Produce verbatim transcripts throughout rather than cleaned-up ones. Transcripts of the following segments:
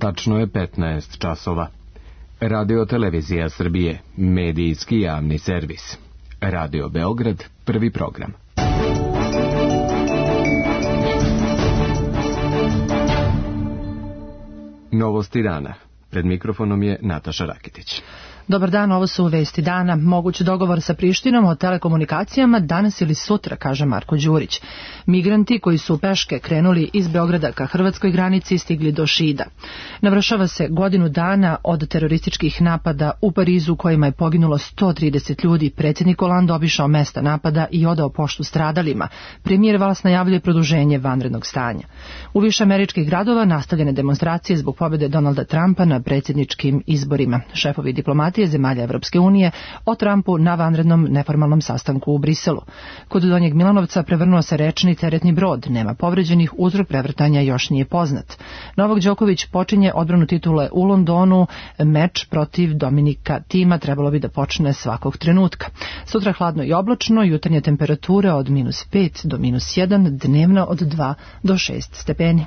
Tačno je petnaest časova. Radio Televizija Srbije, medijski javni servis. Radio Beograd, prvi program. Novosti dana. Pred mikrofonom je Nataša Rakitić. Dobar dan, ovo su vesti dana. Moguć dogovor sa Prištinom o telekomunikacijama danas ili sutra, kaže Marko Đurić. Migranti koji su peške krenuli iz Beograda ka hrvatskoj granici stigli do Šida. Navršava se godinu dana od terorističkih napada u Parizu kojima je poginulo sto trideset ljudi. Predsjednik Hollande obišao mesta napada i odao poštu stradalima. Premijer Valls najavljuje produženje vanrednog stanja. U više američkih gradova nastavljene demonstracije zbog pobjede Donalda Trumpa na predsjedničkim izborima. Šefovi diplomatije zemalja Evropske unije o Trumpu na vanrednom neformalnom sastanku u Briselu. Kod Donjeg Milanovca prevrnuo se rečni teretni brod. Nema povređenih, uzrok prevrtanja još nije poznat. Novak Đoković počinje odbranu titule u Londonu. Meč protiv Dominika Tima trebalo bi da počne svakog trenutka. Sutra hladno i oblačno, jutarnje temperature od minus pet do minus jedan, dnevno od dva do šest stepeni.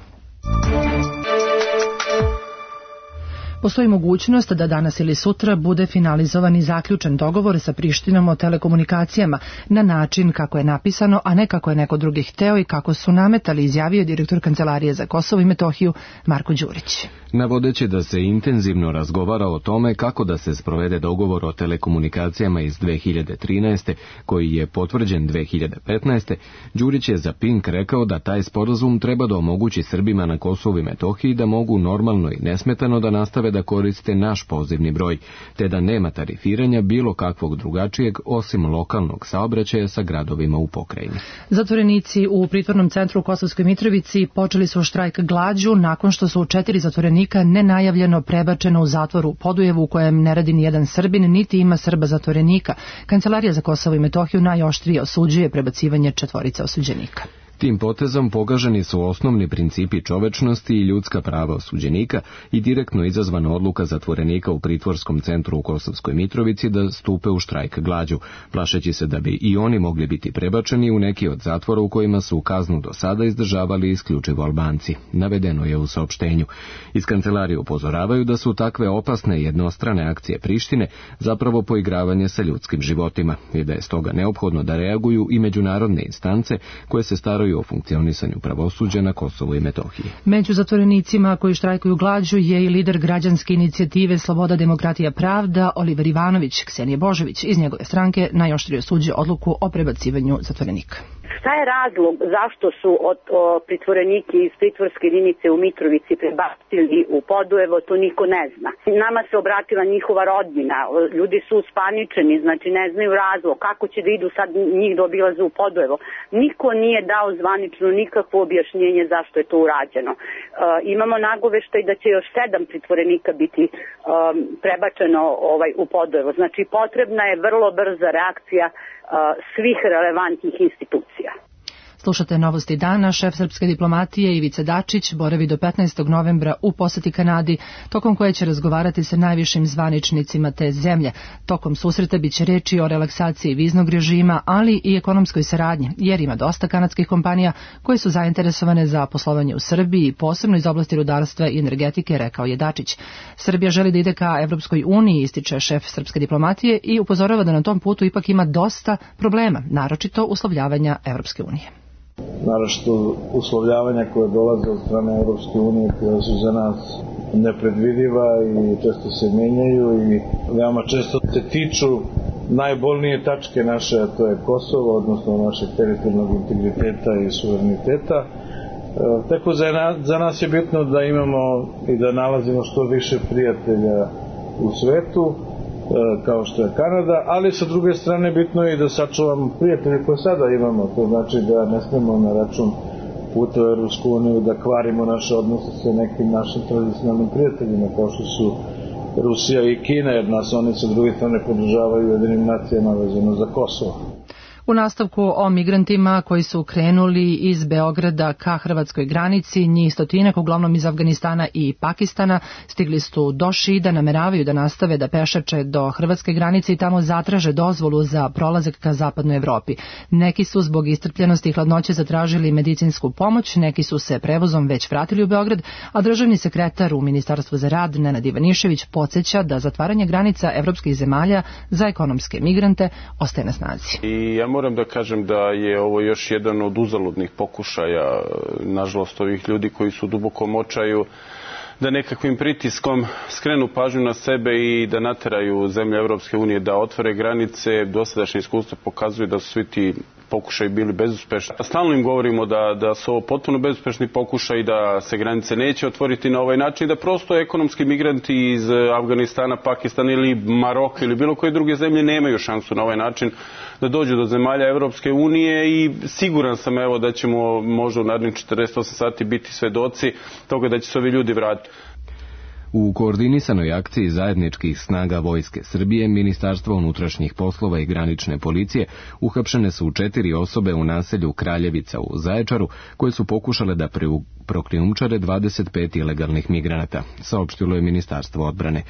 Postoji mogućnost da danas ili sutra bude finalizovan i zaključen dogovor sa Prištinom o telekomunikacijama na način kako je napisano, a ne kako je neko drugi hteo i kako su nametali, izjavio direktor Kancelarije za Kosovo i Metohiju Marko Đurić. Navodeći da se intenzivno razgovara o tome kako da se sprovede dogovor o telekomunikacijama iz dve hiljade trinaeste, koji je potvrđen dve hiljade petnaeste, Đurić je za Pink rekao da taj sporazum treba da omogući Srbima na Kosovu i Metohiji da mogu normalno i nesmetano da nastave da koriste naš pozivni broj, te da nema tarifiranja bilo kakvog drugačijeg osim lokalnog saobraćaja sa gradovima u pokrajini. Zatvorenici u pritvornom centru u Kosovskoj Mitrovici počeli su štrajk glađu nakon što su četiri zatvorenika nenajavljeno prebačeno u zatvor u Podujevu u kojem ne radi ni jedan Srbin, niti ima Srba zatvorenika. Kancelarija za Kosovo i Metohiju najoštrije osuđuje prebacivanje četvorice osuđenika. Tim potezom pogaženi su osnovni principi čovečnosti i ljudska prava osuđenika i direktno izazvana odluka zatvorenika u pritvorskom centru u Kosovskoj Mitrovici da stupe u štrajk glađu, plašeći se da bi i oni mogli biti prebačeni u neki od zatvora u kojima su kaznu do sada izdržavali isključivo Albanci, navedeno je u saopštenju. Iz kancelarije upozoravaju da su takve opasne jednostrane akcije Prištine zapravo poigravanje sa ljudskim životima i da je stoga neophodno da reaguju i međunarodne instance koje se staraju o funkcionisanju pravosuđa na Kosovu i Metohiji. Među zatvorenicima koji štrajkuju glađu je i lider građanske inicijative Sloboda, demokratija, pravda Oliver Ivanović. Ksenija Božović iz njegove stranke najoštrije osuđuje odluku o prebacivanju zatvorenika. Šta je razlog zašto su od, o, pritvoreniki iz pritvorske jedinice u Mitrovici prebacili u Podujevo, to niko ne zna. Nama se obratila njihova rodbina, ljudi su uspaničeni, znači ne znaju razlog, kako će da idu sad njih da obilaze u Podujevo. Niko nije dao zvanično nikakvo objašnjenje zašto je to urađeno. E, imamo nagoveštaj da će još sedam pritvorenika biti um, prebačeno ovaj, u Podujevo. Znači potrebna je vrlo brza reakcija svih relevantnih institucija. Slušate Novosti dana. Šef srpske diplomatije Ivica Dačić boravi do petnaestog novembra u poseti Kanadi, tokom koje će razgovarati sa najvišim zvaničnicima te zemlje. Tokom susreta biće reči o relaksaciji viznog režima, ali i ekonomskoj saradnji, jer ima dosta kanadskih kompanija koje su zainteresovane za poslovanje u Srbiji, posebno iz oblasti rudarstva i energetike, rekao je Dačić. Srbija želi da ide ka Evropskoj uniji, ističe šef srpske diplomatije i upozorava da na tom putu ipak ima dosta problema, naročito uslovljavanja Evropske unije. Naročito uslovljavanja koje dolaze od strane Europske unije, koje su za nas nepredvidiva i često se menjaju i veoma često se tiču najbolnije tačke naše, a to je Kosovo, odnosno našeg teritorijalnog integriteta i suvereniteta. E, tako za, za nas je bitno da imamo i da nalazimo što više prijatelja u svetu, kao što je Kanada, ali sa druge strane bitno je i da sačuvamo prijatelje koje sada imamo, to znači da ne smemo na račun puta u Europsku uniju da kvarimo naše odnose sa nekim našim tradicionalnim prijateljima kao što su Rusija i Kina, jer nas oni sa druge strane podržavaju Ujedinim nacijama vezano za Kosovo. U nastavku o migrantima koji su krenuli iz Beograda ka hrvatskoj granici, njih stotinak, uglavnom iz Afganistana i Pakistana, stigli su do Šida, nameravaju da nastave da pešače do hrvatske granice i tamo zatraže dozvolu za prolazak ka zapadnoj Evropi. Neki su zbog istrpljenosti i hladnoće zatražili medicinsku pomoć, neki su se prevozom već vratili u Beograd, a državni sekretar u Ministarstvu za rad Nenad Ivanišević podsjeća da zatvaranje granica evropskih zemalja za ekonomske migrante ostaje na snazi. I ja moram da kažem da je ovo još jedan od uzaludnih pokušaja, nažalost, ovih ljudi koji su duboko u očaju, da nekakvim pritiskom skrenu pažnju na sebe i da nateraju zemlje Evropske unije da otvore granice. Dosadašnje iskustvo pokazuje da su svi ti pokušaj bili bezuspešni. Stalno im govorimo da, da su ovo potpuno bezuspešni pokušaj, da se granice neće otvoriti na ovaj način, da prosto ekonomski migranti iz Afganistana, Pakistana ili Maroka ili bilo koje druge zemlje nemaju šansu na ovaj način da dođu do zemalja Evropske unije i siguran sam evo da ćemo možda u narednih četrdeset osam sati biti svedoci toga da će se ovi ljudi vratiti. U koordinisanoj akciji zajedničkih snaga Vojske Srbije, Ministarstva unutrašnjih poslova i granične policije uhapšene su četiri osobe u naselju Kraljevica u Zaječaru koje su pokušale da prokrijumčare dvadeset pet ilegalnih migranata, saopštilo je Ministarstvo odbrane.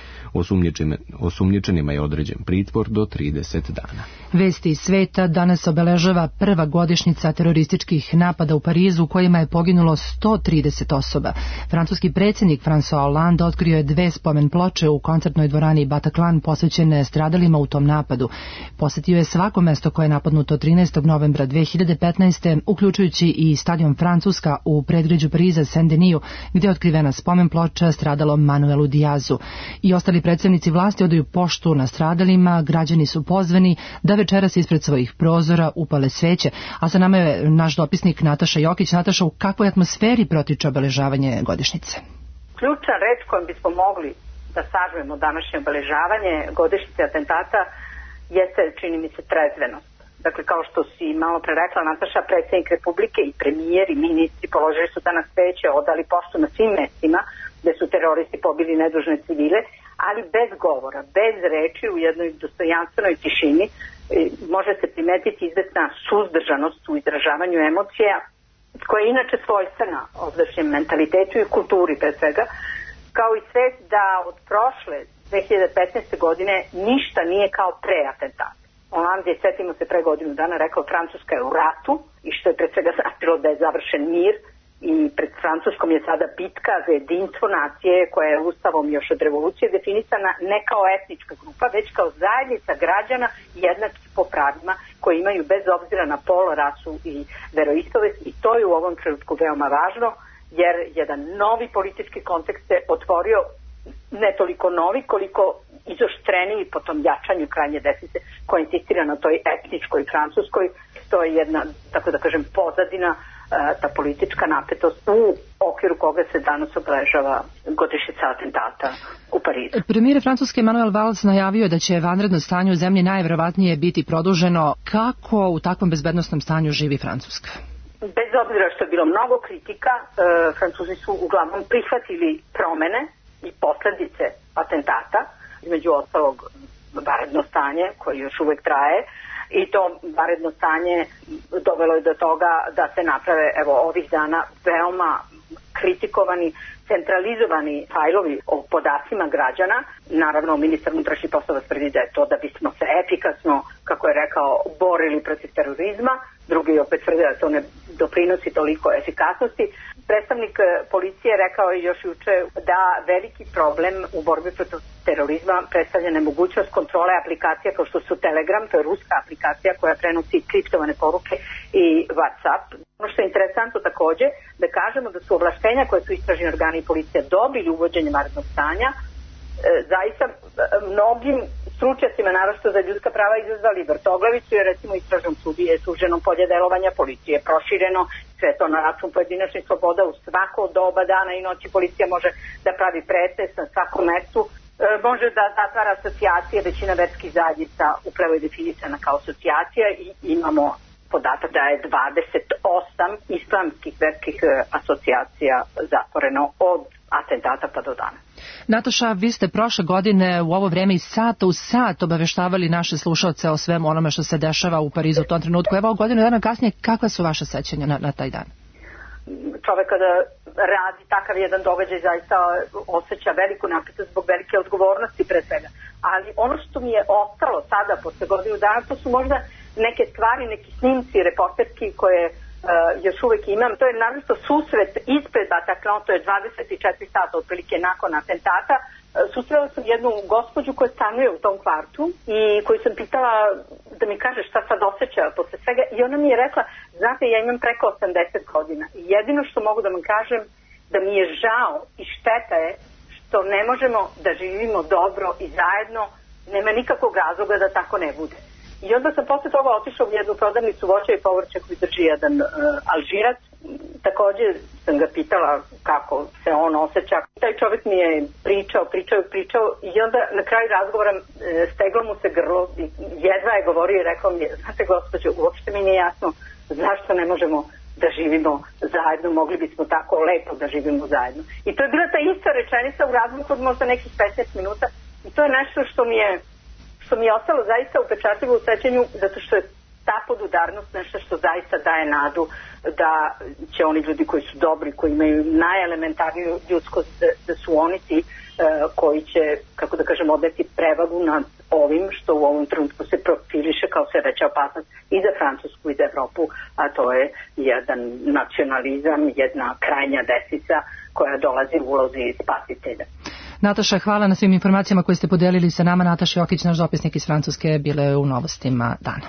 Osumnjičenima je određen pritvor do trideset dana. Vesti iz sveta danas obeležava prva godišnjica terorističkih napada u Parizu u kojima je poginulo sto trideset osoba. Francuski predsjednik François Hollande otkrio je dve spomen ploče u koncertnoj dvorani Bataclan posvećene stradalima u tom napadu. Posetio je svako mesto koje je napadnuto trinaestog novembra dve hiljade petnaeste. uključujući i stadion Francuska u predgrađu Pariza Saint-Denis, gdje je otkrivena spomen ploča stradalom Manuelu Diazu. I ostali predstavnici vlasti odaju poštu na stradalima, građani su pozvani da večeras ispred svojih prozora upale sveće, a sa nama je naš dopisnik Nataša Jokić. Nataša, u kakvoj atmosferi protiče obeležavanje godišnjice? Ključna reč kojom bismo mogli da sažmemo današnje obeležavanje godišnjice atentata jeste, čini mi se, trezvenost. Dakle, kao što si malo pre rekla, Nataša, predsjednik Republike i premijer i ministri položili su danas sveće, odali poštu na svim mestima gde su teroristi pobili nedužne civile, ali bez govora, bez reči, u jednoj dostojanstvenoj tišini može se primetiti izvesna suzdržanost u izražavanju emocija, koja je inače svojstvena ovdašnjem mentalitetu i kulturi pre svega, kao i svest da od prošle dve hiljade petnaeste. godine ništa nije kao pre atentata. Hollande je, setimo se, pre godinu dana rekao Francuska je u ratu i što je pre svega značilo da je završen mir i pred Francuskom je sada bitka za jedinstvo nacije koja je ustavom još od revolucije definisana ne kao etnička grupa, već kao zajednica građana jednakih po pravima koji imaju bez obzira na pol, rasu i veroispovest, i to je u ovom trenutku veoma važno jer jedan novi politički kontekst se otvorio, ne toliko novi koliko izoštreniji po tom jačanju krajnje desnice koja insistira na toj etničkoj Francuskoj. To je jedna, tako da kažem, pozadina, ta politička napetost u okviru koga se danas obeležava godišnjica atentata u Parizu. Premijer Francuske Manuel Valls najavio da će vanredno stanje u zemlji najverovatnije biti produženo. Kako u takvom bezbednosnom stanju živi Francuska? Bez obzira što je bilo mnogo kritika, e, Francuzi su uglavnom prihvatili promene i posledice atentata, između ostalog vanredno stanje koje još uvek traje, i to vanredno stanje dovelo je do toga da se naprave evo ovih dana veoma kritikovani centralizovani fajlovi o podacima građana. Naravno, ministar unutrašnjih poslova tvrdi da je to da bismo se efikasno, kako je rekao, borili protiv terorizma. Drugi opet tvrde da to ne doprinosi toliko efikasnosti. Predstavnik policije rekao je još juče da veliki problem u borbi protiv terorizma predstavlja nemogućnost kontrole aplikacija kao što su Telegram, to je ruska aplikacija koja prenosi kriptovane poruke, i WhatsApp. Ono što je interesantno takođe da kažemo da su ovlaštenja koje su istražni organi i policija dobili uvođenjem vanrednog stanja e, zaista mnogim stručnjacima, naročito za ljudska prava, izazvali vrtoglavicu, jer recimo istražnom sudi je suženo polje delovanja policije prošireno, sve to na račun pojedinačnih sloboda. U svako doba dana i noći policija može da pravi pretres na svakom mestu, e, može da zatvara asocijacije, većina verskih zajednica upravo je definisana kao asocijacija i imamo podatak da je dvadeset osam islamskih verskih asocijacija zatvoreno od atentata pa do danas. Nataša, vi ste prošle godine u ovo vreme iz sata u sat obaveštavali naše slušalce o svemu onome što se dešava u Parizu u tom trenutku. Evo, godinu dana kasnije, kakva su vaše sećanja na, na taj dan? Čovek kada radi takav jedan događaj zaista osjeća veliku napetost zbog velike odgovornosti pre svega. Ali ono što mi je ostalo sada posle godinu dana, to su možda neke stvari, neki snimci, reporterski koje uh, još uvek imam. To je naravno susret ispred Bataclan, to je dvadeset četiri sata otprilike nakon atentata. Uh, susrela sam jednu gospođu koja stanuje u tom kvartu i koju sam pitala da mi kaže šta sad osjeća posle svega i ona mi je rekla, znate, ja imam preko osamdeset godina i jedino što mogu da vam kažem da mi je žao i šteta je što ne možemo da živimo dobro i zajedno, nema nikakvog razloga da tako ne bude. I onda sam posle toga otišla u jednu prodavnicu voća i povrća koju drži jedan uh, Alžirac. Takođe sam ga pitala kako se on osjeća. Taj čovjek mi je pričao, pričao, pričao i onda na kraju razgovora uh, steglo mu se grlo i jedva je govorio i rekao mi je, znate gospođo, uopšte mi nije jasno zašto ne možemo da živimo zajedno, mogli bismo tako lepo da živimo zajedno. I to je bila ta ista rečenica u razliku od možda nekih petnaest minuta i to je nešto što mi je što mi je ostalo zaista upečatljivo u sećanju, zato što je ta podudarnost nešto što zaista daje nadu da će oni ljudi koji su dobri, koji imaju najelementarniju ljudskost, da, da su oni ti uh, koji će, kako da kažem, odeti prevagu nad ovim što u ovom trenutku se profiliše kao sve veća opasnost i za Francusku i za Evropu, a to je jedan nacionalizam, jedna krajnja desnica koja dolazi u ulozi spasitelja. Nataša, hvala na svim informacijama koje ste podelili sa nama. Nataša Jokić, naš dopisnik iz Francuske, bile u Novostima dana.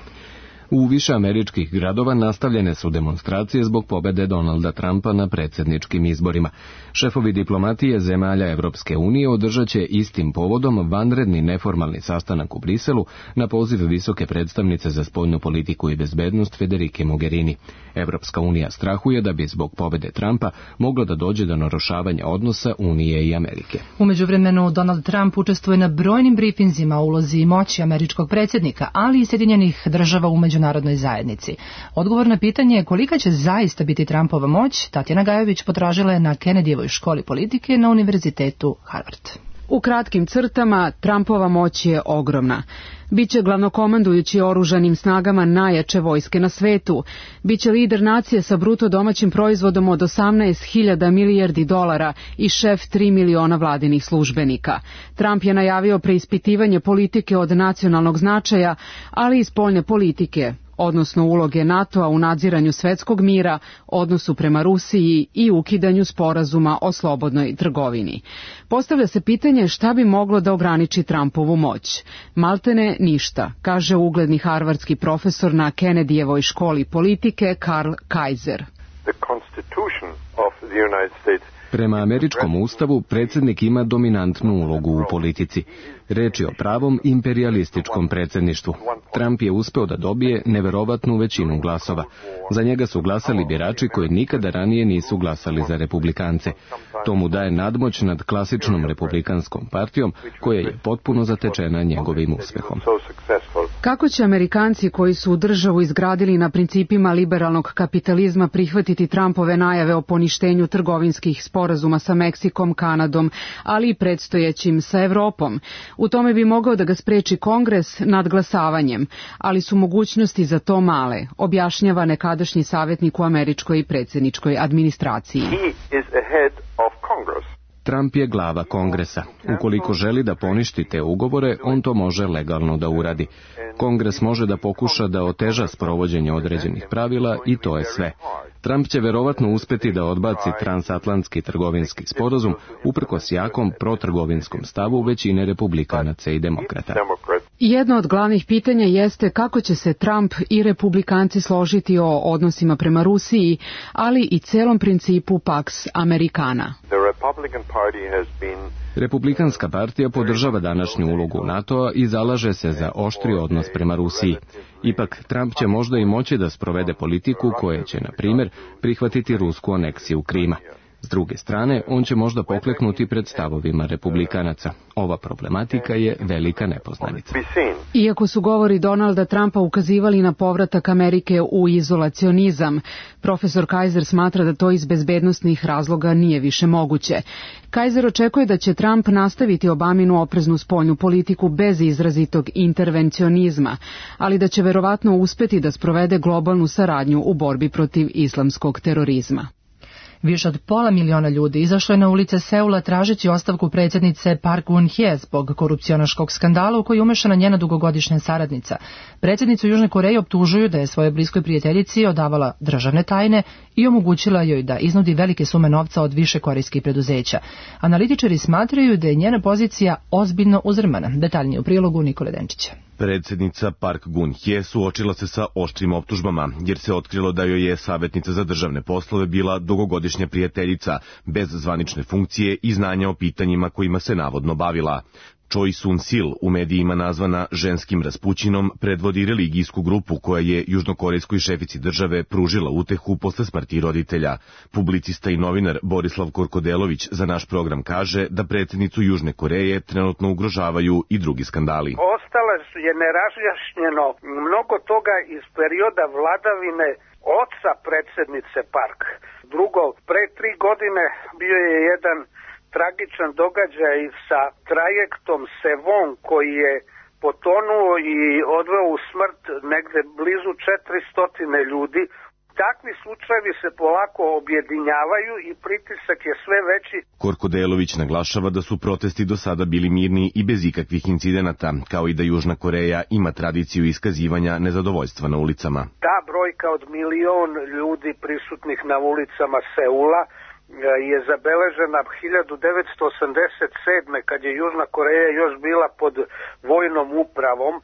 U više američkih gradova nastavljene su demonstracije zbog pobede Donalda Trumpa na predsjedničkim izborima. Šefovi diplomatije zemalja Evropske unije održat će istim povodom vanredni neformalni sastanak u Briselu na poziv visoke predstavnice za spoljnu politiku i bezbednost Federike Mogherini. Evropska unija strahuje da bi zbog pobede Trumpa moglo da dođe do narušavanja odnosa Unije i Amerike. U međuvremenu Donald Trump učestvuje na brojnim brifinzima o ulozi i moći američkog predsjednika, ali i Sjedinjenih država u međunarodnoj zajednici. Odgovor na pitanje je kolika će zaista biti Trumpova moć, Tatjana Gajović potražila je na Kennedyjevoj školi politike na Univerzitetu Harvard. U kratkim crtama, Trumpova moć je ogromna. Biće glavnokomandujući oružanim snagama najjače vojske na svetu. Biće lider nacije sa bruto domaćim proizvodom od osamnaest hiljada milijardi dolara i šef tri miliona vladinih službenika. Trump je najavio preispitivanje politike od nacionalnog značaja, ali i spoljne politike, odnosno uloge NATO-a u nadziranju svetskog mira, odnosu prema Rusiji i ukidanju sporazuma o slobodnoj trgovini. Postavlja se pitanje šta bi moglo da ograniči Trumpovu moć. Maltene ništa, kaže ugledni harvardski profesor na Kennedyjevoj školi politike Karl Kaiser. The Constitution of the United States Prema američkom ustavu, predsjednik ima dominantnu ulogu u politici. Reč je o pravom imperijalističkom predsjedništvu. Trump je uspeo da dobije neverovatnu većinu glasova. Za njega su glasali birači koji nikada ranije nisu glasali za republikance. To mu daje nadmoć nad klasičnom republikanskom partijom, koja je potpuno zatečena njegovim uspehom. Kako će Amerikanci koji su državu izgradili na principima liberalnog kapitalizma prihvatiti Trumpove najave o poništenju trgovinskih sporazuma sa Meksikom, Kanadom, ali i predstojećim sa Evropom? U tome bi mogao da ga spreči Kongres nadglasavanjem, ali su mogućnosti za to male, objašnjava nekadašnji savjetnik u američkoj predsjedničkoj administraciji. Trump je glava Kongresa. Ukoliko želi da poništi te ugovore, on to može legalno da uradi. Kongres može da pokuša da oteža sprovođenje određenih pravila i to je sve. Trump će verovatno uspeti da odbaci transatlantski trgovinski sporazum uprkos jakom protrgovinskom stavu većine republikanaca i demokrata. Jedno od glavnih pitanja jeste kako će se Trump i republikanci složiti o odnosima prema Rusiji, ali i celom principu Pax Americana. Republikanska partija podržava današnju ulogu NATO-a i zalaže se za oštri odnos prema Rusiji. Ipak, Trump će možda i moći da sprovede politiku koja će, na primjer, prihvatiti rusku aneksiju Krima. S druge strane, on će možda pokleknuti pred stavovima republikanaca. Ova problematika je velika nepoznanica. Iako su govori Donalda Trumpa ukazivali na povratak Amerike u izolacionizam, profesor Kaiser smatra da to iz bezbednosnih razloga nije više moguće. Kaiser očekuje da će Trump nastaviti Obaminu opreznu spoljnu politiku bez izrazitog intervencionizma, ali da će verovatno uspeti da sprovede globalnu saradnju u borbi protiv islamskog terorizma. Više od pola miliona ljudi izašlo je na ulice Seula tražeći ostavku predsjednice Park Geun-hye zbog korupcionaškog skandala u koji je umešana njena dugogodišnja saradnica. Predsjednicu Južne Koreje optužuju da je svojoj bliskoj prijateljici odavala državne tajne i omogućila joj da iznudi velike sume novca od više korejskih preduzeća. Analitičari smatraju da je njena pozicija ozbiljno uzrmana. Detaljnije u prilogu Nikole Denčića. Predsjednica Park Geun-hye suočila se sa oštrim optužbama, jer se otkrilo da joj je savjetnica za državne poslove bila dugogodišnja prijateljica, bez zvanične funkcije i znanja o pitanjima kojima se navodno bavila. Choi Soon-sil, u medijima nazvana ženskim raspućinom, predvodi religijsku grupu koja je južnokorejskoj šefici države pružila utehu posle smrti roditelja. Publicista i novinar Borislav Korkodelović za naš program kaže da predsjednicu Južne Koreje trenutno ugrožavaju i drugi skandali. Ostalo je nerazjašnjeno mnogo toga iz perioda vladavine oca predsjednice Park. Drugo, pre tri godine bio je jedan tragičan događaj sa trajektom Sevon koji je potonuo i odveo u smrt negde blizu četiristo ljudi. Takvi slučajevi se polako objedinjavaju i pritisak je sve veći. Korkodelović naglašava da su protesti do sada bili mirni i bez ikakvih incidenata, kao i da Južna Koreja ima tradiciju iskazivanja nezadovoljstva na ulicama. Ta brojka od milion ljudi prisutnih na ulicama Seula je zabeležena hiljadu devetsto osamdeset sedme kad je Južna Koreja još bila pod vojnom upravom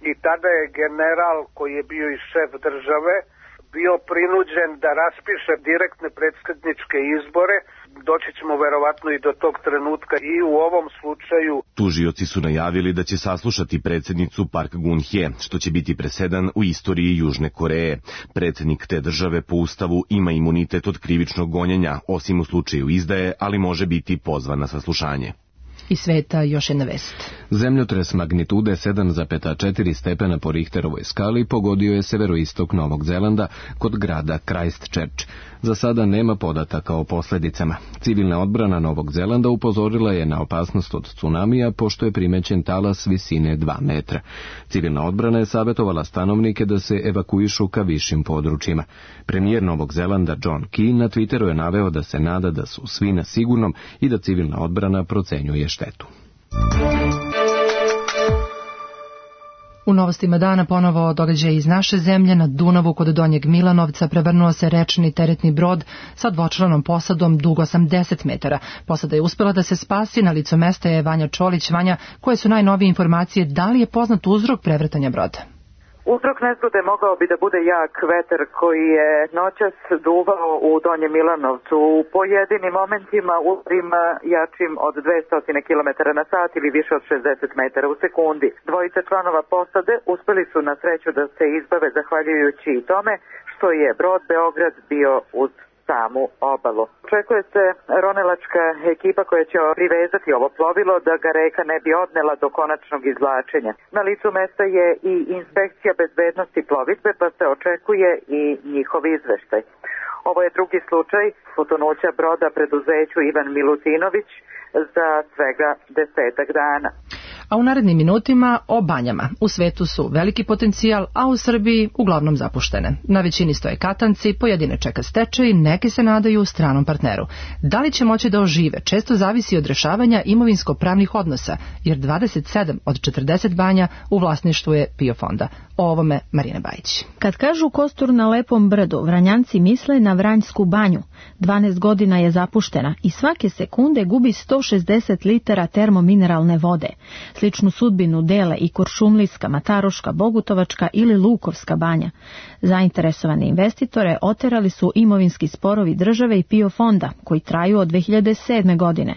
i tada je general koji je bio i šef države bio prinuđen da raspiše direktne predsjedničke izbore. Doći ćemo verovatno i do tog trenutka i u ovom slučaju. Tužioci su najavili da će saslušati predsjednicu Park Geun-hye, što će biti presedan u istoriji Južne Koreje. Predsjednik te države po ustavu ima imunitet od krivičnog gonjenja, osim u slučaju izdaje, ali može biti pozvan na saslušanje. Iz sveta još jedna vest. Zemljotres magnitude sedam zarez četiri stepena po Richterovoj skali pogodio je severoistok Novog Zelanda kod grada Christchurch. Za sada nema podataka o posljedicama. Civilna odbrana Novog Zelanda upozorila je na opasnost od tsunamija pošto je primećen talas visine dva metra. Civilna odbrana je savjetovala stanovnike da se evakuišu ka višim područjima. Premijer Novog Zelanda John Key na Twitteru je naveo da se nada da su svi na sigurnom i da civilna odbrana procenjuje štetu. U novostima dana ponovo događaj iz naše zemlje. Na Dunavu kod Donjeg Milanovca prevrnuo se rečni teretni brod sa dvočlanom posadom dug osamdeset metara. Posada je uspela da se spasi, na licu mesta je Vanja Čolić. Vanja, koje su najnovije informacije, da li je poznat uzrok prevrtanja broda? Uzrok nezgode mogao bi da bude jak vetar koji je noćas duvao u Donjem Milanovcu. U pojedinim momentima udarima jačim od dvesta kilometara na sat ili više od šezdeset metara u sekundi. Dvojica članova posade uspeli su na sreću da se izbave zahvaljujući i tome što je brod Beograd bio uz samu obalu. Očekuje se ronilačka ekipa koja će privezati ovo plovilo da ga reka ne bi odnela do konačnog izvlačenja. Na licu mesta je i inspekcija bezbednosti plovidbe, pa se očekuje i njihov izveštaj. Ovo je drugi slučaj potonuća broda preduzeću Ivan Milutinović za svega desetak dana. A u narednim minutima o banjama. U svetu su veliki potencijal, a u Srbiji uglavnom zapuštene. Na većini stoje katanci, pojedine čeka stečaj, neki se nadaju stranom partneru. Da li će moći da ožive, često zavisi od rešavanja imovinsko-pravnih odnosa, jer dvadeset sedam od četrdeset banja u vlasništvu je PIO fonda. O ovome Marina Bajić. Kad kažu kostur na lepom brdu, Vranjanci misle na Vranjsku banju. dvanaest godina je zapuštena i svake sekunde gubi sto šezdeset litara termomineralne vode. Sličnu sudbinu dele i Kuršumlijska, Mataruška, Bogutovačka ili Lukovska banja. Zainteresovane investitore oterali su imovinski sporovi države i PIO fonda, koji traju od dve hiljade sedme. godine.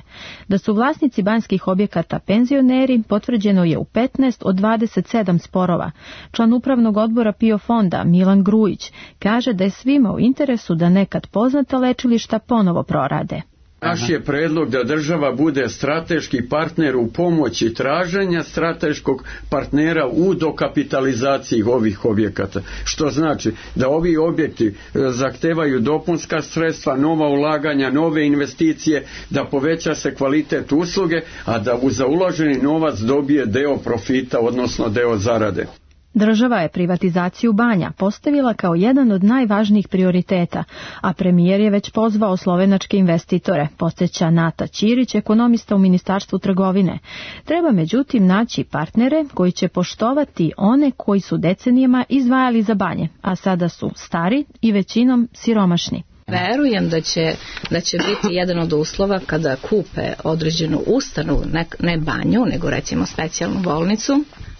Da su vlasnici banjskih objekata penzioneri, potvrđeno je u petnaest od dvadeset sedam sporova. Član upravnog odbora PIO fonda Milan Grujić kaže da je svima u interesu da nekad poznata lečilišta ponovo prorade. Naš je predlog da država bude strateški partner u pomoći traženja strateškog partnera u dokapitalizaciji ovih objekata. Što znači da ovi objekti zahtevaju dopunska sredstva, nova ulaganja, nove investicije, da poveća se kvalitet usluge, a da za uloženi novac dobije deo profita, odnosno deo zarade. Država je privatizaciju banja postavila kao jedan od najvažnijih prioriteta, a premijer je već pozvao slovenačke investitore, podsjeća Nata Ćirić, ekonomista u Ministarstvu trgovine. Treba međutim naći partnere koji će poštovati one koji su decenijama izdvajali za banje, a sada su stari i većinom siromašni. Verujem da će, da će biti jedan od uslova kada kupe određenu ustanovu, ne, ne banju, nego recimo specijalnu bolnicu,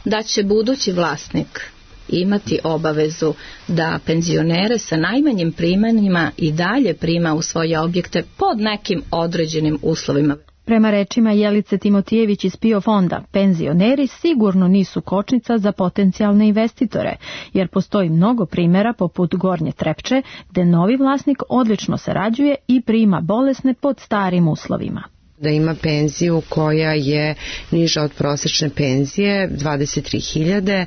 da će budući vlasnik imati obavezu da penzionere sa najmanjim primanjima i dalje prima u svoje objekte pod nekim određenim uslovima. Prema rečima Jelice Timotijević iz P I O fonda, penzioneri sigurno nisu kočnica za potencijalne investitore, jer postoji mnogo primjera poput Gornje Trepče, gde novi vlasnik odlično sarađuje i prima bolesne pod starim uslovima. Da ima penziju koja je niža od prosječne penzije, dvadeset tri hiljade,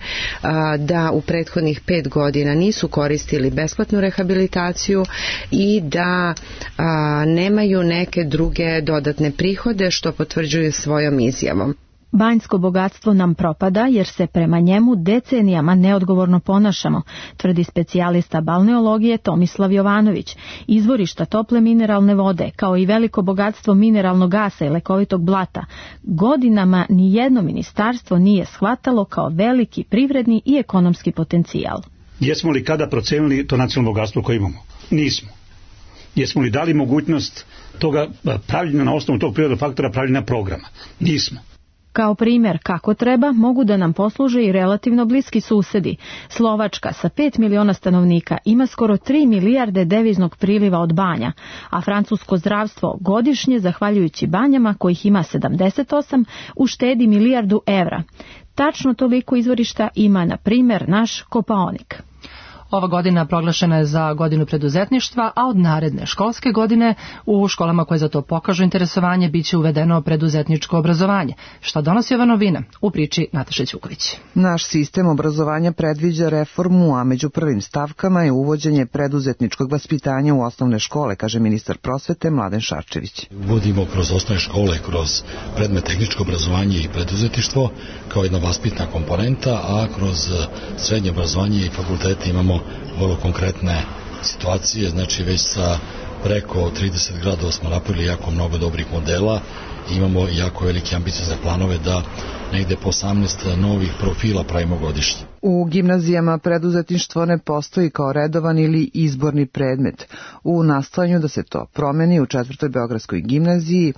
da u prethodnih pet godina nisu koristili besplatnu rehabilitaciju i da a, nemaju neke druge dodatne prihode što potvrđuju svojom izjavom. Banjsko bogatstvo nam propada jer se prema njemu decenijama neodgovorno ponašamo, tvrdi specijalista balneologije Tomislav Jovanović. Izvorišta tople mineralne vode, kao i veliko bogatstvo mineralnog gasa i lekovitog blata, godinama ni jedno ministarstvo nije shvatalo kao veliki privredni i ekonomski potencijal. Jesmo li kada procenili to nacionalno bogatstvo koje imamo? Nismo. Jesmo li dali mogućnost toga pravljenja na osnovu tog prirodnog faktora pravljenja programa? Nismo. Kao primjer kako treba mogu da nam posluže i relativno bliski susedi. Slovačka sa pet miliona stanovnika ima skoro tri milijarde deviznog priliva od banja, a francusko zdravstvo godišnje, zahvaljujući banjama kojih ima sedamdeset osam, uštedi milijardu evra. Tačno toliko izvorišta ima, na primjer, naš Kopaonik. Ova godina proglašena je za godinu preduzetništva, a od naredne školske godine u školama koje za to pokažu interesovanje biće uvedeno preduzetničko obrazovanje. Šta donosi ova novina? U priči Nataše Ćuković. Naš sistem obrazovanja predviđa reformu, a među prvim stavkama je uvođenje preduzetničkog vaspitanja u osnovne škole, kaže ministar prosvete Mladen Šarčević. Uvodimo kroz osnovne škole, kroz predmet tehničko obrazovanje i preduzetništvo kao jedna vaspitna komponenta, a kroz srednje obrazovanje i fakultete imamo vrlo konkretne situacije, znači već sa preko trideset gradova smo napravili jako mnogo dobrih modela i imamo jako velike ambiciozne planove da negde po osamnaest novih profila pravimo godišnje. U gimnazijama preduzetništvo ne postoji kao redovan ili izborni predmet. U nastojanju da se to promeni u četvrtoj Beogradskoj gimnaziji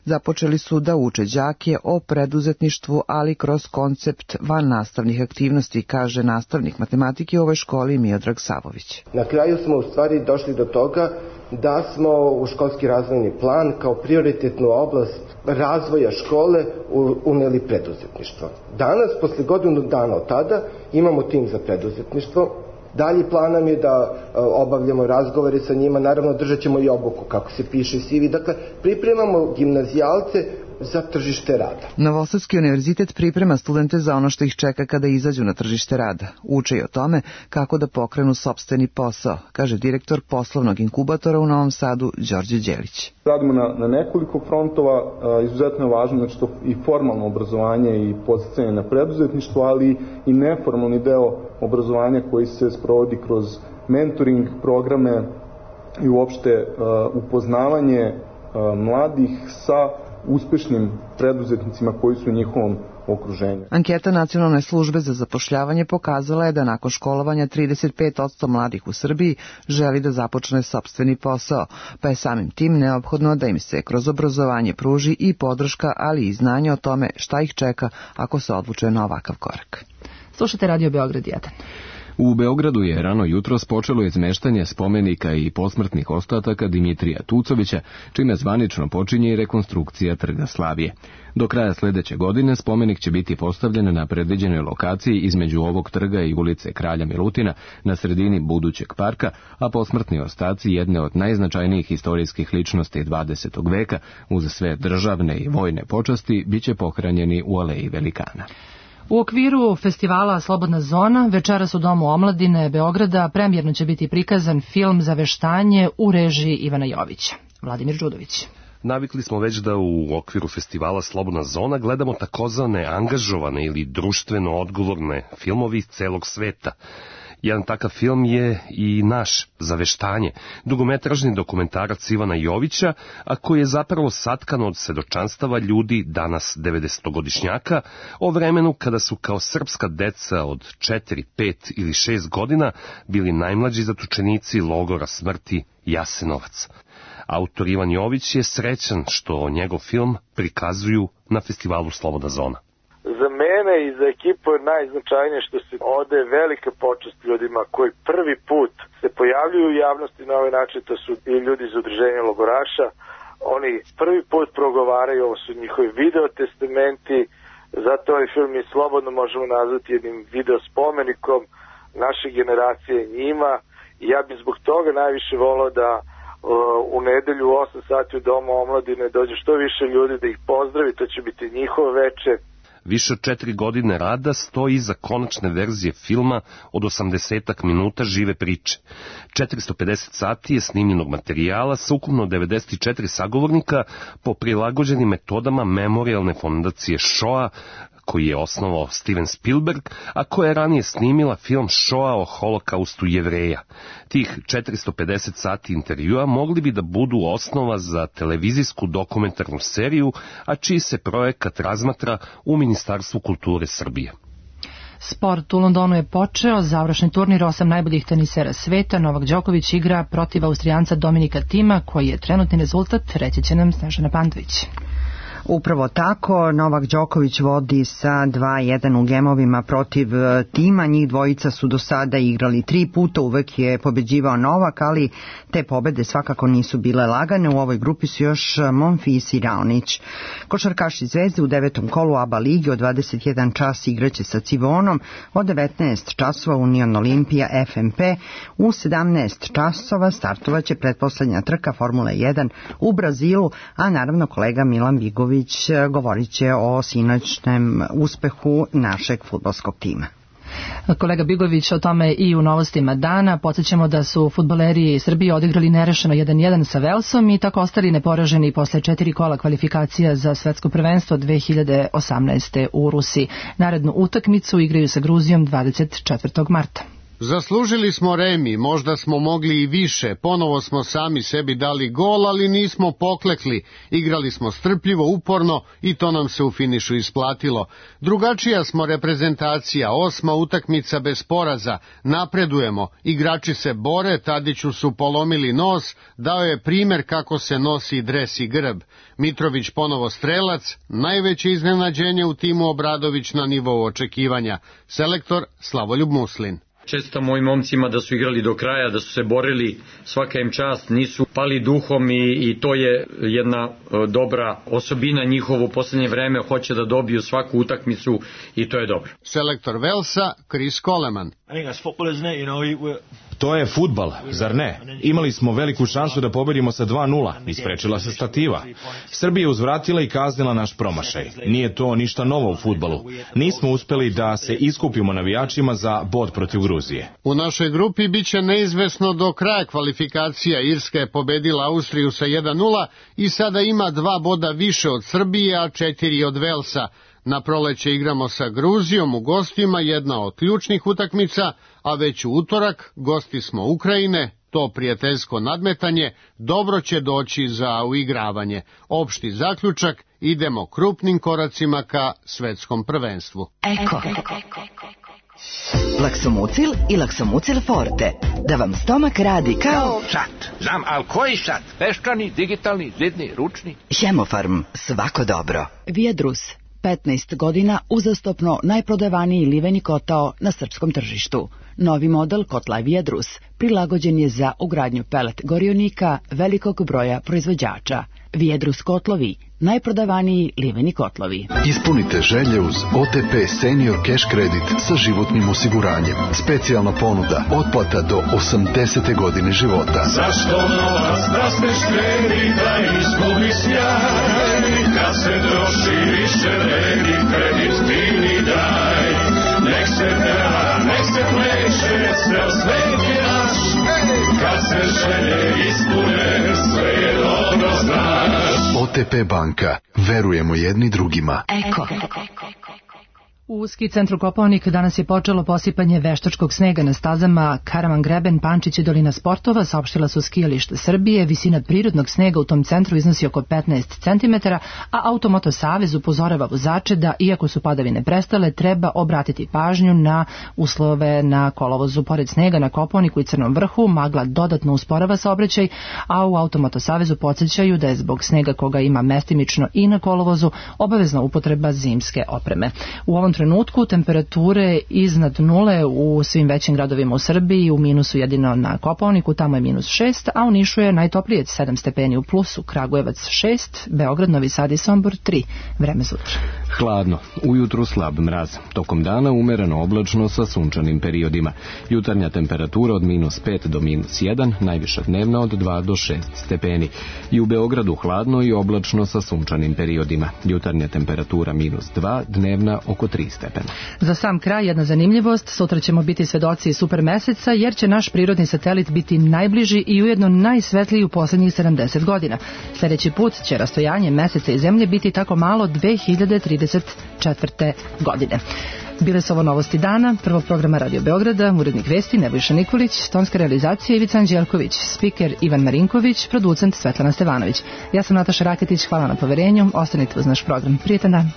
započeli su da uče đake o preduzetništvu, ali kroz koncept van nastavnih aktivnosti, kaže nastavnik matematike u ovoj školi Miodrag Savović. Na kraju smo u stvari došli do toga da smo u školski razvojni plan kao prioritetnu oblast razvoja škole uneli preduzetništvo. Danas, posle godinu dana od tada, imamo tim za preduzetništvo. Dalji plan nam je da obavljamo razgovore sa njima, naravno držat ćemo i obuku, kako se piše C V. Dakle, pripremamo gimnazijalce za tržište rada. Novosadski univerzitet priprema studente za ono što ih čeka kada izađu na tržište rada. Uče i o tome kako da pokrenu sopstveni posao, kaže direktor poslovnog inkubatora u Novom Sadu Đorđe Đelić. Radimo na, na nekoliko frontova, a, izuzetno je važno znači to i formalno obrazovanje i podsticanje na preduzetništvo, ali i neformalni deo obrazovanja koji se sprovodi kroz mentoring programe i uopšte a, upoznavanje a, mladih sa uspešnim preduzetnicima koji su u njihovom okruženju. Anketa Nacionalne službe za zapošljavanje pokazala je da nakon školovanja trideset pet posto mladih u Srbiji želi da započne sopstveni posao, pa je samim tim neophodno da im se kroz obrazovanje pruži i podrška, ali i znanje o tome šta ih čeka ako se odluče na ovakav korak. Slušajte Radio Beograd jedan. U Beogradu je rano jutros počelo izmeštanje spomenika i posmrtnih ostataka Dimitrija Tucovića, čime zvanično počinje i rekonstrukcija Trga Slavije. Do kraja sledeće godine spomenik će biti postavljen na predviđenoj lokaciji između ovog trga i ulice Kralja Milutina na sredini budućeg parka, a posmrtni ostaci jedne od najznačajnijih istorijskih ličnosti dvadesetog veka uz sve državne i vojne počasti biće pohranjeni u Aleji Velikana. U okviru festivala Slobodna zona večeras u Domu omladine Beograda premijerno će biti prikazan film Zaveštanje u režiji Ivana Jovića. Vladimir Đudović. Navikli smo već da u okviru festivala Slobodna zona gledamo takozvane angažovane ili društveno odgovorne filmovi iz celog sveta. Jedan takav film je i naš, Zaveštanje, dugometražni dokumentarac Ivana Jovića, a koji je zapravo satkan od svedočanstava ljudi, danas devedesetogodišnjaka, o vremenu kada su kao srpska deca od četiri, pet ili šest godina bili najmlađi zatočenici logora smrti Jasenovac. Autor Ivan Jović je srećan što njegov film prikazuju na festivalu Slobodna zona. Za mene i za ekipu je najznačajnije što se ode velika počast ljudima koji prvi put se pojavljuju u javnosti na ovaj način, to su i ljudi iz udruženja logoraša. Oni prvi put progovaraju, ovo su njihovi videotestamenti, zato ovaj film mi slobodno možemo nazvati jednim videospomenikom naše generacije njima. I ja bih zbog toga najviše volao da u nedelju u osam sati u Domu omladine dođe što više ljudi da ih pozdravi, to će biti njihovo veče. Više od četiri godine rada stoji iza konačne verzije filma od osamdesetak minuta žive priče. četiristo pedeset sati je snimljenog materijala sa ukupno devedeset četiri sagovornika po prilagođenim metodama Memorijalne fondacije Shoah, koji je osnovao Steven Spielberg, a koja je ranije snimila film Shoah o holokaustu Jevreja. Tih četiristo pedeset sati intervjua mogli bi da budu osnova za televizijsku dokumentarnu seriju, a čiji se projekat razmatra u Ministarstvu kulture Srbije. Sport u Londonu je počeo, završni turnir osam najboljih tenisera sveta. Novak Đoković igra protiv Austrijanca Dominika Tima, koji je trenutni rezultat, reći će nam Snežana Pantović. Upravo tako, Novak Đoković vodi sa dva jedan u gemovima protiv Tima. Njih dvojica su do sada igrali tri puta, uvek je pobeđivao Novak, ali te pobede svakako nisu bile lagane. U ovoj grupi su još Monfils i Raonić. Košarkaši Zvezde u devetom kolu ABA lige od dvadeset jedan čas igraće sa Civonom, od devetnaest časova Union Olimpija F M P, u sedamnaest časova startovaće pretposlednja trka Formule jedan u Brazilu, a naravno kolega Milan Bigović govorit će o sinoćnem uspehu našeg fudbalskog tima. Kolega Bigović o tome i u novostima dana. Podsjećamo da su fudbaleri Srbije odigrali nerešeno jedan jedan sa Velsom i tako ostali neporaženi posle četiri kola kvalifikacija za svetsko prvenstvo dve hiljade osamnaeste. u Rusiji. Narednu utakmicu igraju sa Gruzijom dvadeset četvrtog marta. Zaslužili smo remi, možda smo mogli i više, ponovo smo sami sebi dali gol, ali nismo poklekli, igrali smo strpljivo, uporno i to nam se u finišu isplatilo. Drugačija smo reprezentacija, osma utakmica bez poraza, napredujemo, igrači se bore, Tadiću su polomili nos, dao je primer kako se nosi dres i grb. Mitrović ponovo strelac, najveće iznenađenje u timu Obradović na nivou očekivanja. Selektor Slavoljub Muslin. Često mojim momcima da su igrali do kraja, da su se borili, svaka im čast, nisu pali duhom i, i to je jedna e, dobra osobina njihovo u poslednje vreme, hoće da dobiju svaku utakmicu i to je dobro. Selektor Velsa, Chris Coleman. To je fudbal, zar ne? Imali smo veliku šansu da pobedimo sa dva nula, isprečila se stativa. Srbija je uzvratila i kaznila naš promašaj. Nije to ništa novo u fudbalu. Nismo uspeli da se iskupimo navijačima za bod protiv Gruzije. U našoj grupi biće neizvesno do kraja kvalifikacija. Irska je pobedila Austriju sa jedan nula i sada ima dva boda više od Srbije, a četiri od Velsa. Na proleće igramo sa Gruzijom u gostima, jedna od ključnih utakmica, a već u utorak gosti smo Ukrajine, to prijateljsko nadmetanje dobro će doći za uigravanje. Opšti zaključak, idemo krupnim koracima ka svetskom prvenstvu. Eko. Laksomucil i Laksomucil Forte. Da vam stomak radi kao... Sat. Znam, ali koji sat? Peščani, digitalni, zidni, ručni? Hemofarm. Svako dobro. Vijedrus. petnaest godina uzastopno najprodavaniji liveni kotao na srpskom tržištu. Novi model kotla Viedrus prilagođen je za ugradnju pelet gorionika velikog broja proizvođača. Viedrus kotlovi, najprodavaniji liveni kotlovi. Ispunite želje uz O T P Senior Cash Kredit sa životnim osiguranjem. Specijalna ponuda, otplata do osamdesete godine života. Zašto novac da smeš kredita izgubi sjaj? Kad se troši više vredi, kredit ti mi daj. Nek se peva, nek se pleše, cel svet je naš. Kad se želje ispune, sve je dobro znaš. O T P banka. Verujemo jedni drugima. Eko. U ski centru Kopaonik danas je počelo posipanje veštačkog snega na stazama Karaman Greben, Pančić i Dolina sportova, saopštila su skijalište Srbije. Visina prirodnog snega u tom centru iznosi oko petnaest centimetara, a Automoto Savez upozorava vozače da, iako su padavine prestale, treba obratiti pažnju na uslove na kolovozu. Pored snega na Kopaoniku i Crnom vrhu, magla dodatno usporava saobraćaj, a u Automoto Savezu podsjećaju da je zbog snega koga ima mestimično i na kolovozu obavezna upotreba zimske opreme. U ovom trenutku temperature iznad nule u svim većim gradovima u Srbiji, u minusu jedino na Kopaoniku, tamo je minus šest, a u Nišu je najtoplije sedam stepeni u plusu, Kragujevac šest, Beograd, Novi Sad i Sombor tri. Vreme za utro. Hladno, ujutru slab mraz, tokom dana umereno oblačno sa sunčanim periodima. Jutarnja temperatura od minus pet do minus jedan, najviša dnevna od dva do šest stepeni. I u Beogradu hladno i oblačno sa sunčanim periodima. Jutarnja temperatura minus dva, dnevna oko tri stepena. Za sam kraj jedna zanimljivost, sutra ćemo biti svedoci super meseca jer će naš prirodni satelit biti najbliži i ujedno najsvetliji u posljednjih sedamdeset godina. Sljedeći put će rastojanje meseca i zemlje biti tako malo dve hiljade trideset četvrte. godine. Bile su ovo novosti dana, prvog programa Radio Beograda, urednik vesti Nebojša Nikolić, tonska realizacija Ivica Anđelković, spiker Ivan Marinković, producent Svetlana Stevanović. Ja sam Nataša Raketić, hvala na poverenju, ostanite uz naš program. Prijetan dan.